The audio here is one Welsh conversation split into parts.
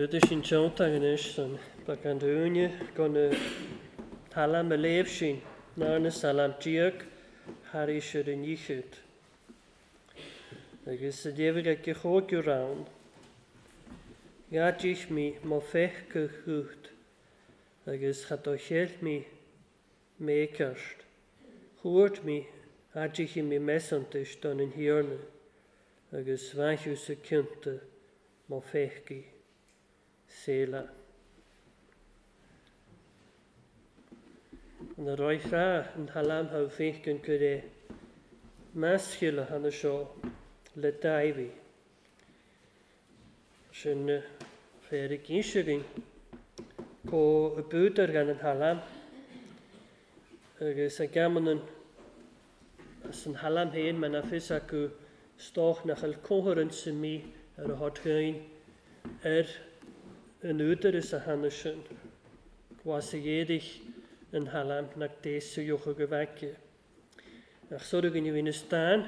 Fuair sin teannta anois san beagán dúinne gan na talam a léamh sin ná na salam diag thar éis ar an ndíchead. Agus a léamh ag chóigiú ann, Ghaidís mí má feicadh chút agus cha do cheil mí méceart. Chuairt mí aidíchi mí mesantais don an thiarna agus bhainchiú sa cionta má feicí. Séala. An a roichra an halam ha féiceann gur é measchiile hanna seo le Dáibhí. Sin féar i gcíseagainn có a búdar gan an halam agus a gamannan as an halam féin mar na fios acu stoch nach bhfuil comhar sa mí ar a thort féin ar an údar is a hanna sin. Gwas a dhéadach an halam nach dés sa jocha go bhfeice. Ach sóra go bhíonn stán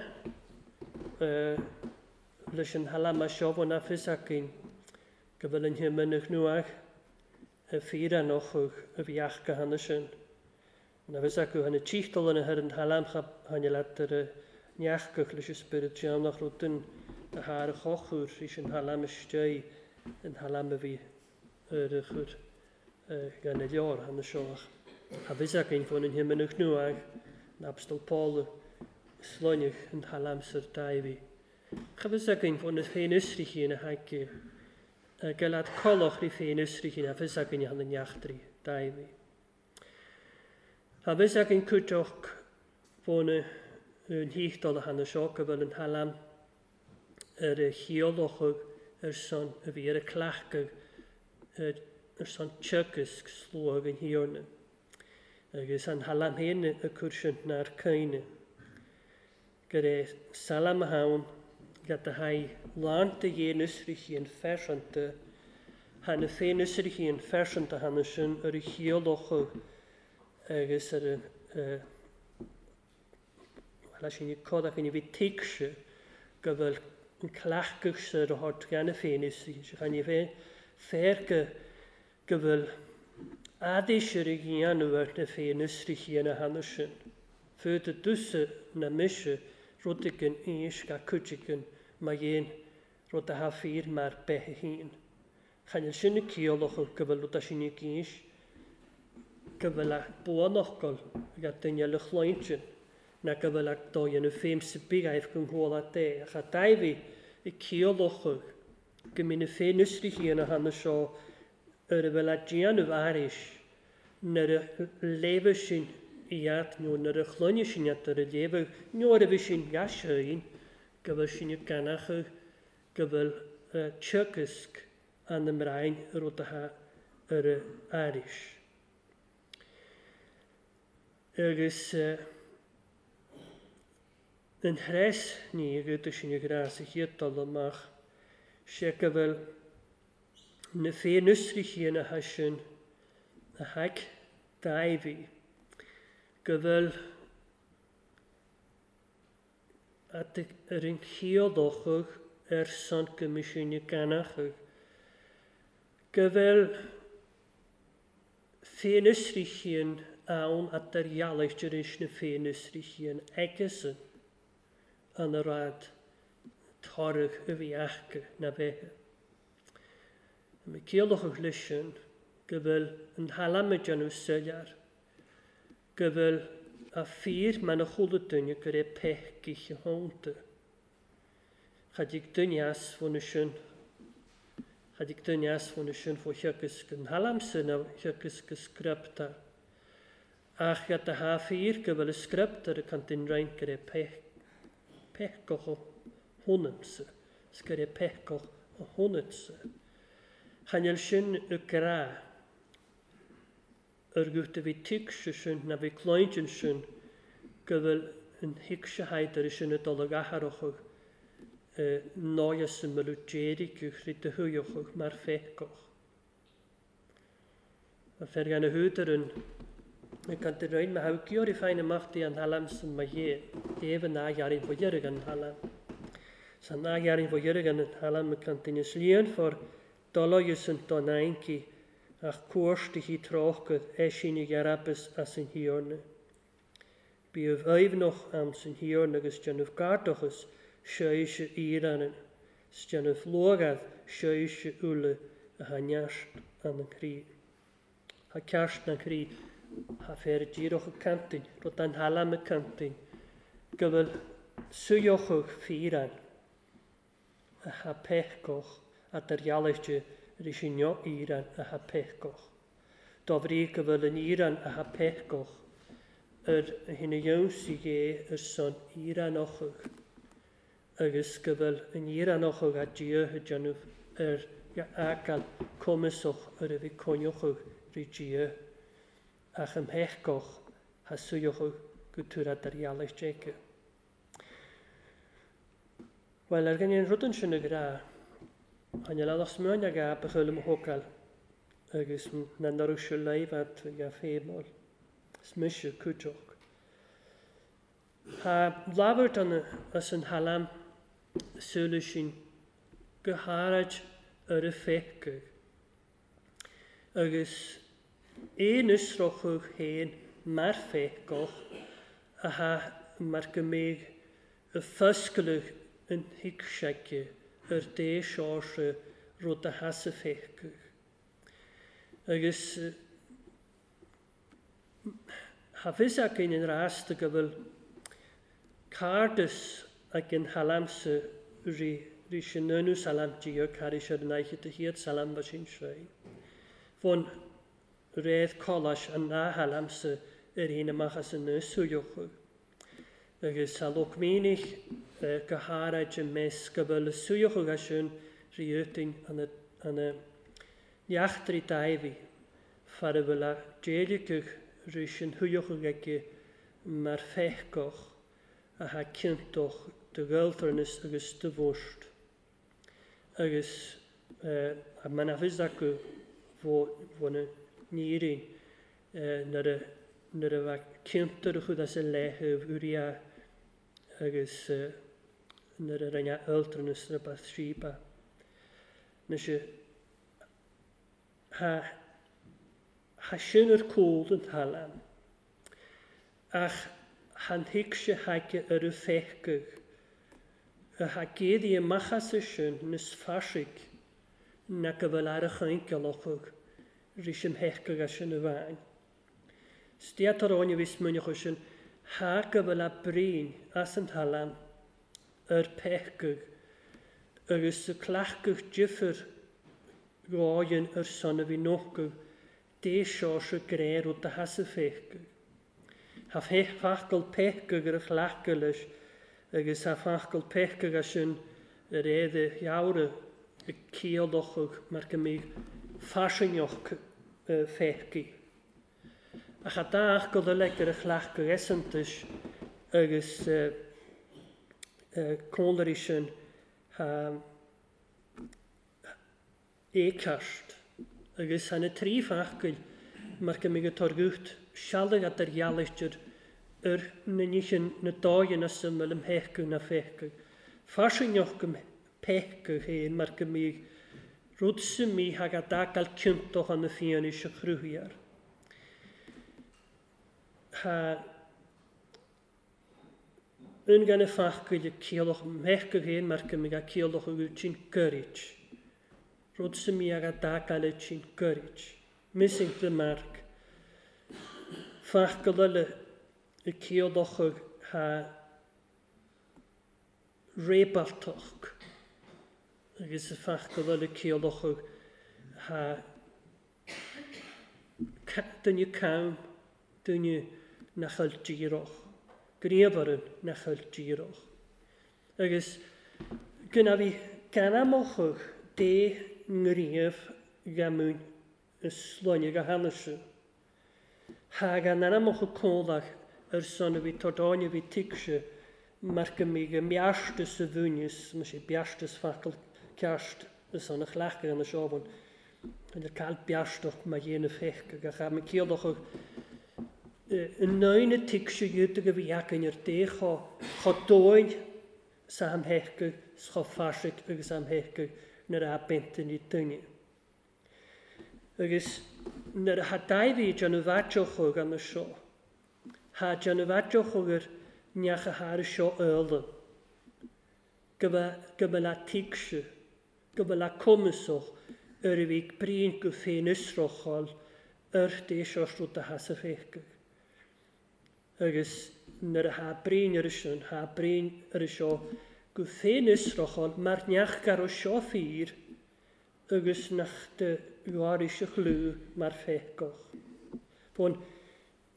leis an halam a seo bhfuil na fios againn go bhfuil an himinn a chnuach a fíor an ochadh a bhí ach go hanna sin. Na bhfios acu hanna tíochtal an ar an halam hanna leat ar a neachgach leis an spiorad teannach rud a thar a chochúr is an halam istigh an halam a bhí ar a chur gan na leor hanna seo. A bhfios againn fón an himinn a chnuach an Apostol Paul sloineach an halam sar Dáibhí. Cha bhfios againn fón na féin usrichín a haige galad colach rí féin usrichín a bhfios againn hanna neachtraí Dáibhí. A bhfios againn cúiteach fón an thíochtal a hanna seo go bhfuil an halam ar a chiallachadh ar son a bhí ar a cleachtadh ar son teagasc sluagh an thiarna. Agus an halam féin a chur sin nár caoine. Gur é salam a haon le do haghaidh lánta dhéan usrichín phearsanta, thána féin usrichín phearsanta thána sin ar a chiallachadh agus ar a leis sin codach ina bhí tuigse go bhfuil an cleachtadh sa ar a thort cheana féin usrichín. Sé chan féin féar go bhfuil aidéis ar a dhéanamh ar na féin usrichín a thána sin. Fud a dúsa na mise rud againn éis ga cuid againn má dhéan rud a tha fíor mar beithe féin. Chan sin na ciallachadh go bhfuil rud sin i gcéis go bhfuil a buanfhocal ag duine le chlointin na go bhfuil ag dó dhéanamh féin sa bíghaibh go ngóla dé. Ach a Dáibhí i ciallachadh go mbíonn na féin usrichín a thána seo ar a bhfuil a déanamh aris nuair a léamh sin iad nó nuair a chloinne sin iad ar a léamh nuair a bhí sin gaisféin go bhfuil sin i gcanachadh go bhfuil teagasc an na mbrain rud atá ar a aris. Agus an threis ní a sin i grás a chéad dul amach sé go bhfuil na féin usrichín a tha sin a haig Dáibhí go bhfuil ar an chiallachadh ar son go mbí sin i gcanachadh go bhfuil féin usrichín ann at ar dhealaicht ar is na féin usrichín aigesan an a rad toradh a bhí acu na bheithe. Má ciallachadh leis sin go bhfuil an halam ag déanamh soiléir, go bhfuil a fíor mar na chuala duine gur é peicich a thónta. Cha dtig duine as fóna sin, cha dtig duine as fóna sin fó theagasc an halam sin a theagasc go scripta. Ach iad a tha fíor go bhfuil a script ar a cant in roinnt gur é peiceach a thónamsa, is gur é peiceach a thónatsa. Chan fhuil sin i grá ar gut a bhí tuigse sin na bhí clointin sin go bhfuil an thuigse haidar sin a dul ag atharachadh náia sa mbealú déiric chrí de thuíochadh mar feiceach. A fer gan a húdar an cant i roinn ma hau gior i féin amach dí an halam san ma dhé déibh an ághearin fo dheireadh an halam. San ághearin fo dheireadh an halam a cant ina slíon for Doloius an don aincí ach cuairtí tráchad eisíní arabas as an thiarna. Bíomh aoibhneach am san thiarna agus déanamh gardachas seoise íranan, 's déanamh luagad seoise uile a ha neart an an chroí. Ha ceart an chroí, ha féar díreach a cantain, rud an thalam a cantain, go bhfuil suíochadh fíran a ha peiceach a dar-ghealaiste ris an íran a ha peiceach. Dá bhrí go bhfuil an íran a ha peiceach ar hina dheonsaigh é ar son íranachadh agus go bhfuil an íranachadh a Dia a déanamh ar fhágáil cumasach ar a bhí coinneochadh rí Dia ach an peiceach ha suíochadh go tuar dar-ghealaiste aici. Well, ar gan an rud ansin a ghrá, tháinig le lasmuigh ag a ba chuile mo thógáil agus na n-oireadh se leimhead ag a féimheáil. Is mise cúiteach. Tá labhairt an as an thalam súile sin go háirid ar a féachadh. Agus aon fhiosrachadh féin mar féachadh atá mar go mbeidh a foscladh an thuigseaige ar dé seoirse rud a has a féachadh. Agus tha fios againn an rasta go bhfuil cairdeas ag an thalamsa rí rí sin nú salam Dia carí sé an aiche de hiad salam ba sin féin. Bhon réad coláis an ná thalamsa ar aon amach as an nusúiochadh. Agus sa locmínich go háirid i measc go bhfuil suíochadh sin riútain an neachtraí daimhí far a bhfuil a déileachadh rí sin thuíochadh aici mar féachach a ha ciontach de ghaeltarnas agus de bhúst. Agus a man a bhfios acu bhuna nírin nuair a bheadh ciontar a chud as a leithéamh uria agus nuair a rinne altranas na Bathsheba. Anois ha sin ar cúl an talam. Ach han thuig sé haige ar a féachadh. A ha géadaí amach as sin níos fairsigh na go bhfuil ar a chaincealachadh ris an héachadh as sin a bhain. Stiatar áine bhí smuineachadh sin ha go bhfuil a brín as an talam ar péachadh agus sa cleachadh difir gáin ar son a bhí nóchadh dé seo se gréir rud a has a féachadh. Ha fachgal péachadh ar a chleachadh leis agus ha fachgal péachadh as sin ar éad gheabhra a ciallachadh mar go mbeidh fairsingeach féachadh. Ach a dá go eile ar a chleachadh esantais agus cónairí sin ha éceart agus ha na trí fachgail mar go mbeidh targúcht sealadh at ar ghealaistir ar na níchin na dóigheanna sa mbeidh am héachadh na féachadh. Fairsingeach go péachadh féin mar go mbeidh rud sa mí thag a d'fhágáil ciontach an na fianaise chruthaíar. Ha un gan y fachgail y ciallach mhéachadh féin mar go mbeidh a ciallach a sin gcuirid. Rud sa mí ag a d'fhágáil sin gcuirid. Missing the mark. Fachgail eile y ciallach ha rébaltach. Agus y fachgail eile ciallach ha duine cam, duine nach bhfuil díreach. Gníomharan nach bhfuil díreach. Agus gona bhí ganamachadh dé ngníomh gamún is sláine go hanase. Ha gan anamachadh códach ar son a bhí tardáine bhí tuigse mar go mbeidh a mbeartas a bhúineas, mar sé beartas focal ceart is an a chleachtadh an seomhan. An ar cael beartach mar dhéanamh féach agus cha ma ciallach yn nain y tuigse iad go bhí againn ar dé cha dóin sa am héachadh, sa cha fairsigh agus am héachadh nuair a beinteann i duine. Agus nuair atá Dáiví ag déanamh aiteochadh ann seo, thá ag déanamh aiteochadh ar neach a thar seo eola, go mba le tuigse, go mba le cumasach ar a bhí bruíon go féinfhiosrúcháil ar d'éis rud a theas a phéacadh. Agus nuair atá bruíon ar sin, thá bruíon ar seo go féinfhiosrúcháil mar neach go raibh seo fíor agus nach de gháiris a chlú mar phéacach. Fón,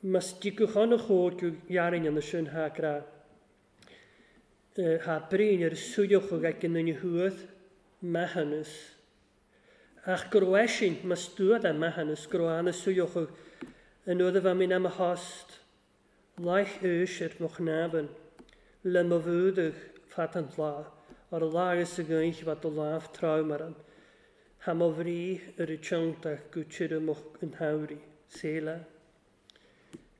mas dtiocfadh a chóir go ghearrainn an sin thá grá. Thá bruíon ar súileochadh ag an duine thuath, maithiúnas. Ach go raibh eisean, mas dua é maithiúnas, go raibh ana súileochadh an uair a bheith mé ina mo thost, laich úis ar mo chnámhain, le mo bhúdach fad an lá, ar a lá agus a ghaoth bheadh do lámh trom orm. Thá mo bhrí ar a tiontach go tirim-uch an shamhraidh. Selah.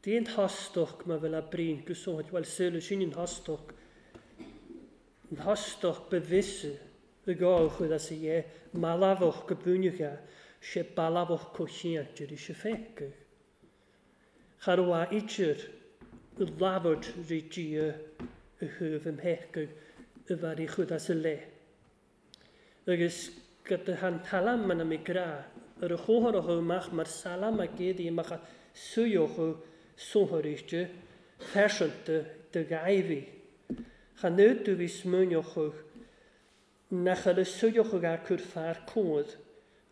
Dén thostach má bhfuil a bruíon go sóid, bhuel, Selah, sin an thostach, an thostach ba mhise i gcomh chuid as a dhé, malamhach go buaineach é, sé balbhach comhchiant ar ise féachadh. Cha raibh a idir i labhairt rí Dia i thaobh im théachadh i bhfear í chuid as a leith. Agus go do han talam mana mi gra ar a chomhartha amach mar salam a gcéadaí amach a suíochadh sothuiriste phearsanta do Dháiví. Chan fhiú do bhí smaoineochadh nach ar a suíochadh a cur fear comhad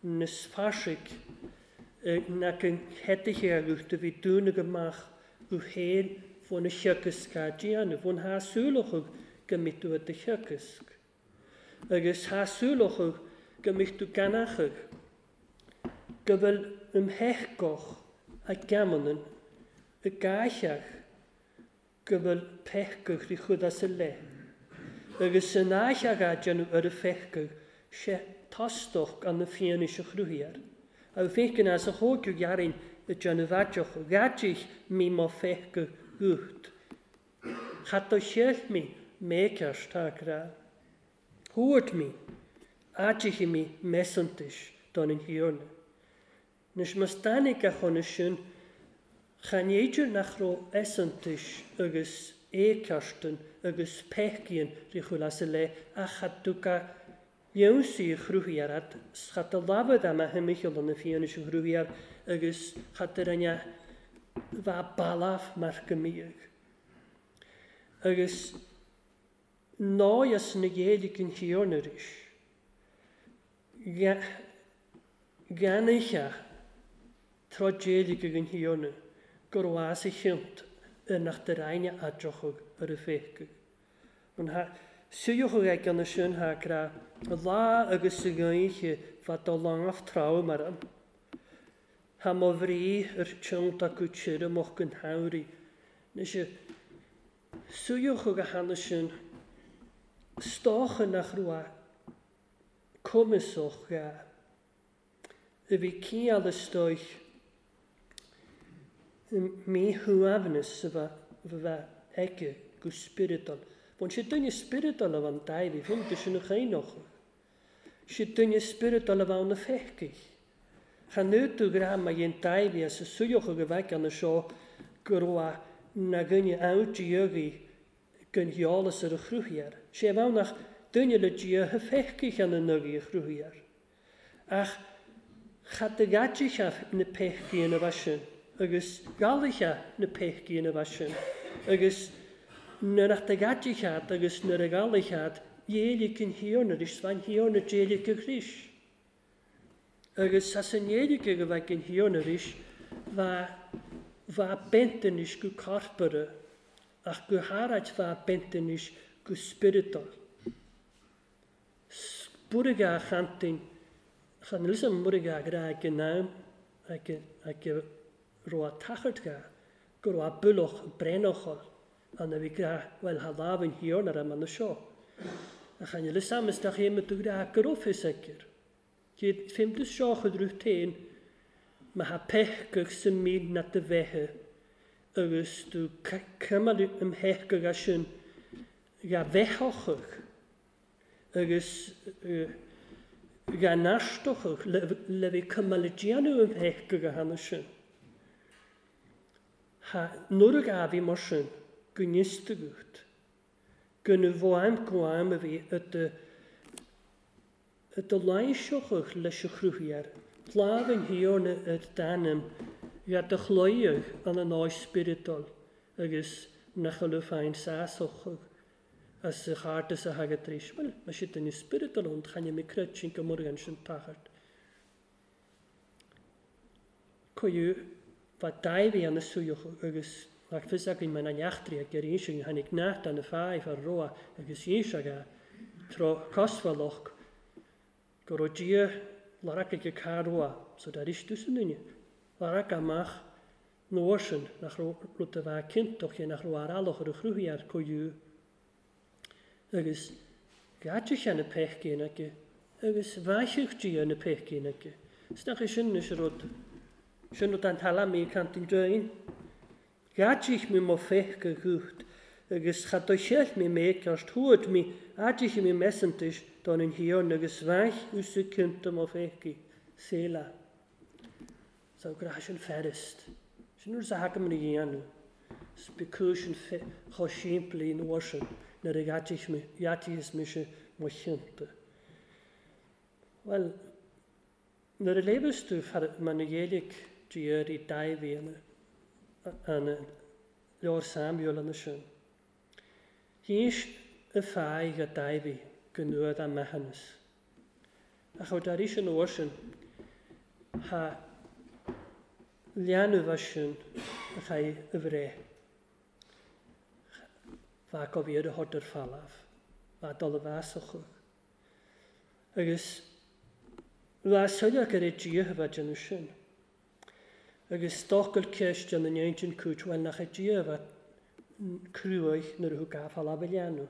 níos fairsinge ná go héadaithe do bhí dúnadh amach go féin bhun a theagasc á déanamh, bhun thá súileochadh go mbeidh tú i do theagasc. Agus thá súileochadh go mbeidh tú ganachadh, go bhfuil um theagasc a geamanann i gcaitheadh, go bhfuil peacadh rí chuid as a leith. Agus san áitheadh á déanamh ar a pheacadh, sé tostach an na fianaise chruthaigh air. A bhfeiceann as a thóigeadh ghearrainn i déanamh aiteach, ghaidih mí mo pheacadh guth. Chat do cheil mí méceart tá grá. Thabhairt mí, aidithe mí measantais don an Thiarna. Anois más dáinig a chona sin, chan fhéidir nach raibh easantais agus éiceartan agus peicíonn rí chuil as a leith ach chat tú ga leonsaí a chruthaigh ar fhad, 's chat a lamhad am a himcheall na fianaise a chruthaigh air agus chat a rinne bheith balbh mar go mbíodh. Agus náigheas na Ghaeilge an Thiarna arís. Gheannaithe tráth Gaeilge an Thiarna go raibh as a chionnt ar nach de Roinne a dtiocfadh ar a féachadh. An suíochadh ag an sin thá grá lá agus a ghaoithe fad do lámh trom orm. Thá mo bhrí ar tionnt acu tirim-uch an shamhraidh. Anois suíochadh a cheana sin stocha nach raibh cumasach gá. A bhí ciall istoich míshuaimhneas a bheith aige go spioradal. Bhain sé duine spioradal a bhain Dáiví, bhí de sin a chaoineochadh. Sé duine spioradal a bhain na feicigh. Chan fhiú tú grá má dhein Dáiví as a suíochadh a bheith ann seo go raibh na dhuine ann diagaí den gheolas ar a chruthaigh air. Sé a bheadh nach duine le Dia a feicigh an nugaí a chruthaigh air. Ach cad a ghaidithe na peicí ina bheith sin, agus galaithe na peicí ina bheith sin, agus nuair a ghaidithe agus nuair a galaithe dhéiligh an Thiarna arís, bhain Thiarna déiligh a chrois. Agus as an ndéiligh a bheith an Thiarna arís, bha bentanis go corpora, ach go háirid bha bentanis go spioradal. Spúraigh a chantain, chan eil an muraigh a gra ag an am ag raibh tachairt ga, go raibh buloch brénochal an a bhí gra bhfuil ha lámh an Thiarna ar an seo. A chan eil samas da chéim tú gra go raibh fios aige. Céad fém du seo chud rúth téin, ma ha pechgach sa mín na de bheithe, agus tú cuimeáil im theicheadh as sin ga bheitheachach, agus Ga neartochadh le bheith cuma le déanamh an pheaca go cheana sin. Ha nuair a ghabh mar sin go n-isteacht, go na bhfuaim go am a bhí i do lainseochadh leis a chruthaíoir, lámh an Thiarna ar d'ainm, ga do chloíodh an an áis spioradal agus nach bhfuil féin sásochadh as a chártas a thagadh tar éis. Bhuel, má sé duine spioradal ann, chan ea mé creid sin go murgan sin tachairt. Cuireadh fa daimh an suíoch agus nach fios againn mar na neachtraí ag ar sin tháinig neart an fáidh far roa agus inse aga tro cosmhalach go raibh Dia larac ag carua so dar istu san duine. Larac amach nuair sin nach raibh rud a bheith cinntoch é nach raibh aralach ar a chruthaí ar cuireadh. Agus gaite cheana pechcéin aici agus bhaiseach Dia na pechcéin aici. Is nach é sin is rud sin rud an tala mí cantin dúin. Gaitich mé mo feice gucht agus cha do cheil mé méceart thuad mé aidich mé mesantais don an thiarn agus bhaich úsa cinnte mo feice Selah. So gra sin ferist. Sin nuair a thacaim na dhéanamh. Specúis sin chomh simplí nuair sin nuair a ghaitich mise mo chinnte. Well, nuair a léifeas tú mar na Ghaeilge Dia i daimh an leor Samuel an sin. Hís y ffaig a daimh go nuad a mechanas. Ach ó dar is an uair sin, ha leanbh sin a chaith y bhre. Fa go bhí ar a thod ar falaf. Fa dul a bheasach. Agus bha soileach ar é Dia a bheith déanamh sin. Agus stocail ceist an an cúit bhfuil nach é Dia a bheith cruaich nuair a thug gafáil a leanbh.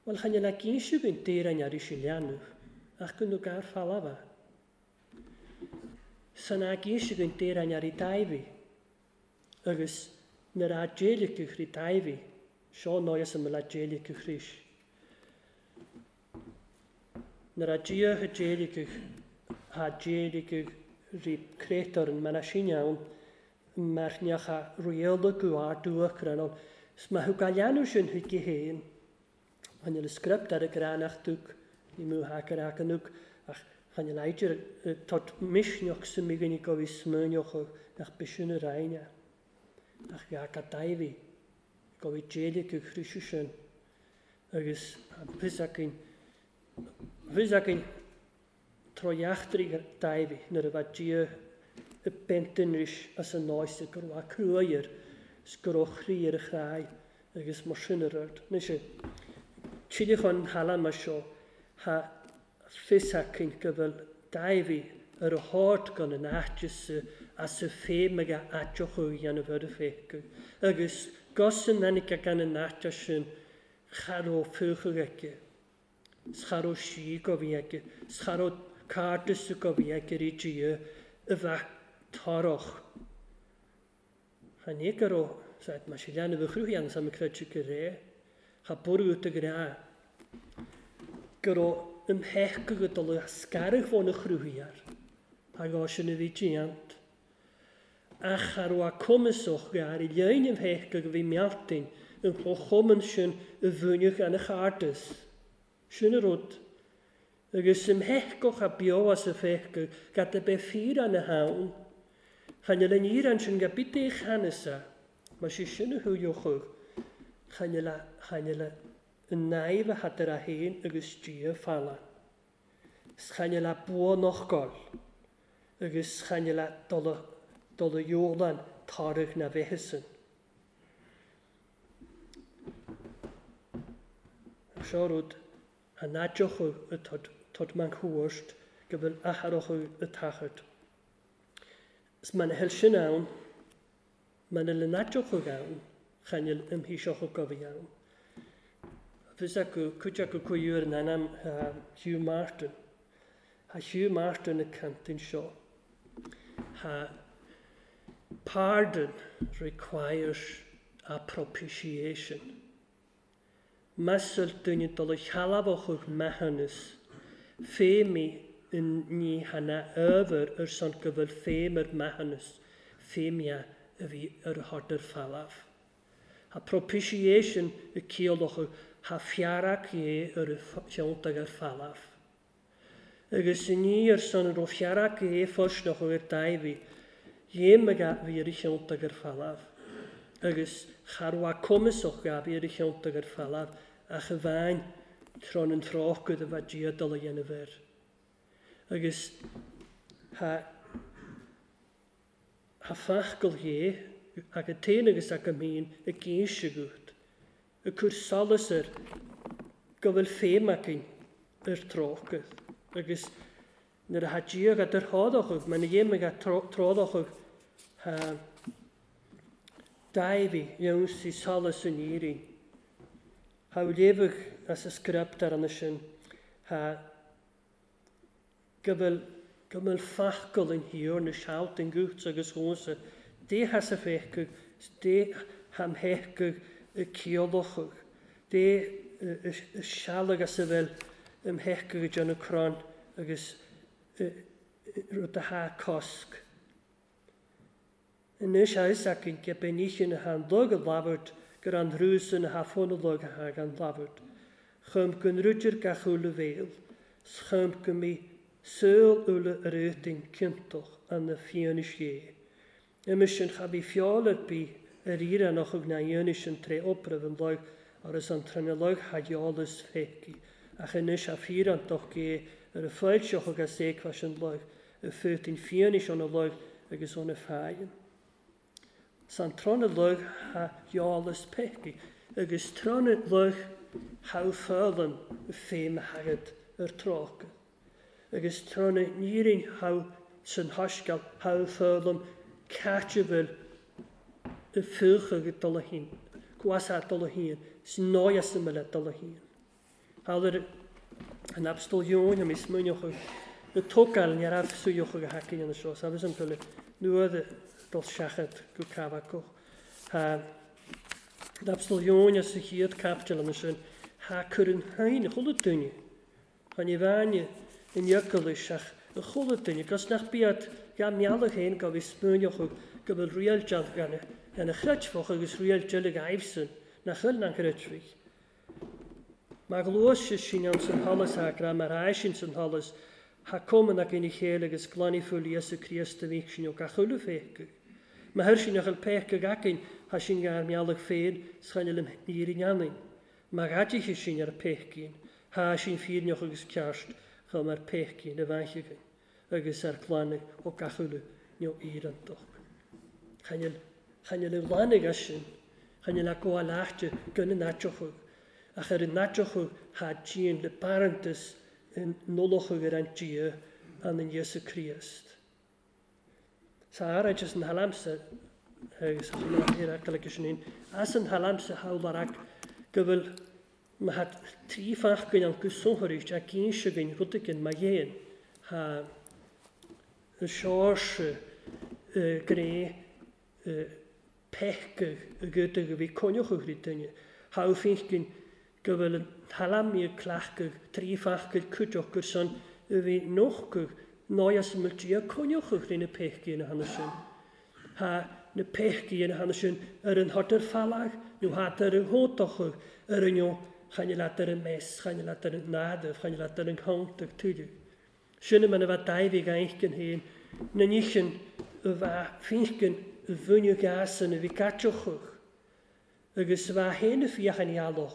Well chan le gínse go dtír an arí sin leanbh, ach go nó gar falaf. San a gínse go dtír an arí daimh. Agus nuair a déiligh go chrí daimh, seo náis an le déiligh go chrís. Nuair a Dia a déiligh ha déiligh rí créatur an mana sin ann, mar neach a riail go ardúach Is má thug a leanbh sin chuige féin, chan le script ar a gránach dúch, ní mú hacar acanúch, ach chan le aidir tot misneach sa míghaine go bhí smuineoch nach bisiún a raine. Ach ga go daimh, go bhí déiligh go chríse sin. Agus fios againn tro dheachtraí daimh nuair a bheith Dia i bentinris as an náise go raibh cruair is go raibh chroí ar a chráí agus mar sin a rud. Anois, tíle chun hala mar seo, ha fios againn go bhfuil daimh ar a háit gan an áiteas as a féim ag a áiteach ó dhéanamh ar a féiceadh. Agus gos an ainic gan an áite sin cha raibh fuachadh aici. Cha raibh sí go bhí aici. Cha raibh cárdas go bhí aici rí Dia a bheith tarach. Cha ní go raibh said mar sé leanbh a chruthaigh an sam creidte go ré. Cha burú go rá. Go raibh im theach go dul a scaradh fón a chruthaigh air. Tá gá sin a bhí déant. Ach cha raibh a cumasach go ar i lein im theach go bhí mealtain an chomh sin a bhuaineach an a chárdas. Sin a rud. Agus im theach a beo as a féach gad a bheith fíor an a haon. Chan le níor an sin go bit é chanasa, mar sé sin a thuúochadh, chan le an naimh a hadar a haon agus Dia falla. Chan le bua nach gáil, agus chan le dul a dheolan targ na bheithe Seo rud a náideochadh a tod man chuairt go bhfuil atharachadh a tachairt. Is man a thuil sin ann, man a le náideochadh ann, chan fhuil imthíseachadh go bhí ann. Fios acu, cuid acu cuiúr in ainm Hugh Martin. Ha Hugh Martin y cantin seo. Ha pardon requires a propitiation. Measal duine dul a chealabhachadh meathanas, féimí ní hana ábhar ar son go bhfuil féim ar maitheanas féimia a bhí ar a thart ar falamh. Ha propitiation i ciallocha ha fearac é ar a cheanntag ar falamh. Agus ní ar son ro fearac é fosnoch ar daibhi, dhéim a bhí ar a cheanntag ar falamh. Agus charwa cumasach a bhí ar a cheanntag ar falamh ach a bhain tron an tráchgad a bheith dia dul a dhéanamh air. Agus ha fachgal dhé ag a tain agus ag a mín i gcéinseagut, y cwr solas ar go bhfuil féim againn ar tráchgad. Agus nuair a ha dia gad ar thádachadh, mar na dhéim ag trádachadh ha daibhi dhéansaí solas an iarraidh. Ha léamh as a script ar an sin ha go bhfuil fachgal in thiar na sealt in gúts agus chónsa dé has a féchadh, dé ham héchadh y ciolachadh, dé y sealag as a bhfuil im héchadh i dtéanamh crann agus rud a ha cosc. Anois a is againn go beníchin a han lug a labhairt gur an rúsan a ha fón a lug a ha gan labhairt. Chum go nruidir gach úla bhéal, chum go mí saol úla ar étain ciontach an na fianis dhé. Imis sin cha bhí fiáil ar bí ar iarannach ag na dhéanais an tré opraibh an lug agus an trína lug ha dheolas féici, ach anois a fíorantach gé ar a fáilseach agus éacmhais an lug, y ffwt yn fianis o'n y lug agus o'n y ffain. San tron y lug ha dheolas péici, agus tron y lug ha fálan y féim hagad ar trácha. Agus tron y nírin ha san hasgal ha fálan caitebhil y ffwch ag dul a hyn, gwas a dul a hyn, sy'n noias ymwyl a dul a hyn. Halar an abstol Ión am is muoch y tógáil ní raibh suíoch a hacaí an seo, sabes an tuile nuad dul seachad go cafacach. Ha an abstol Ión as y chéad capitail an sin, ha cur an hain a chuile duine. Cha ní bhaine in iocail ach a chuile duine, gus nach bíad ga meallach féin go bhí smuoch go bhfuil riail gan a chreidfeach agus riail deil aibhsan nach chuil nach chreidfeach. Mar glós sé sin an san halas ha mar sin san halas ha coman ag ina chéile agus glannaí fuil Íosa Críost a bhí sin ó gach uile féchadh. Ma thuir sin nach péchadh againn ha sin gar meallach féin schaine le níor annainn. Ma ghaidithe sin ar péchcín, ha sin fíorneach agus ceart chum ar péchcín a bhaincheagainn agus ar glannaigh ó gach uile nó iarantach. Chaine le glannaigh as sin, chaine le go leachte gona naiteachadh, ach ar an naiteachadh ha díon le barantas in nolachadh ar an dia an an Íosa Críost. Sa áráid as an halamsa, agus ar sin as an halamsa hawlarak go bhfuil ma hat trí fachgain an go sonthairícht a gcínseagainn rudaigin ma dhéan ha y seoirse gré pechgadh y gydag a bhí coinneochadh rí duine. Ha finchgin go bhfuil an halamí clachgadh trí fachgail cuideach gur son a bhí nochgadh náias ymwyl dia coinneochadh rí na pechgaí na hana sin. Ha na pechgaí na hana sin ar an thart ar falach nó hat ar an hótachadh ar an neo chaine leat ar an mes, chaine leat ar an nádamh, chaine leat ar an chóntach tuideadh. Sin man a bheith daibhigh ainchgin féin, na níchin a bheith finchgin a bhunú gasan a bhí caiteochadh, agus a bheith féin a fiach an ealach,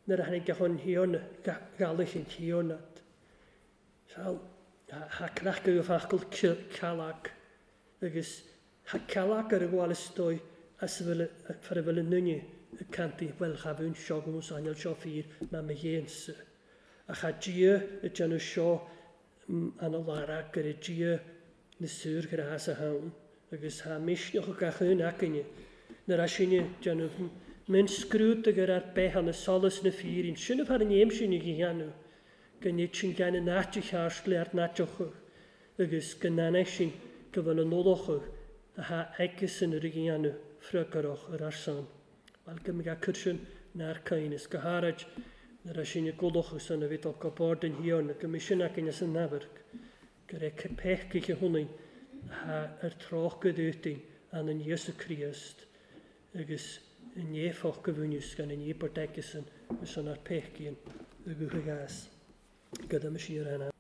nuair a tháinig chun thiarna, galach an thiarnat. Seal, ha crachadh a fachgal cealach, agus ha cealach ar a bhfuil stoi as a bhfuil far a bhfuil an nunne y canti, wel chafwn sio gwmws anial sio ffyr, ma me dhéansa. Ach ha dia y déanamh seo an a lara gur y dia na súr gur as a hawn, agus ha misneach o gach un againne. Nuair a sinne déanamh min scrúd gur ar beth an y solas na ffyrin, sin a far an éim sin i dhéanamh, go nid sin gan an áit a cheart le ar náiteachadh, agus go nanach sin go bhfuil an nolachadh a ha agus yn yr dhéanamh friogarach ar ar son. Wel, gymryd a cwrsiwn na'r cain, is go hárad Nuair a sin i gcodlachas san a bhí dul go bord an Thiarna, go mbeidh sin againn as an amharc, go raibh peacaithe ionainn atá ar tráth go dútain ann Íosa Críost agus i n-éifeacht go bhfuinneamh gan an íobairt aigesan ar son ár peacaíonn a ghuth a gheas. Go dtuime siar ann.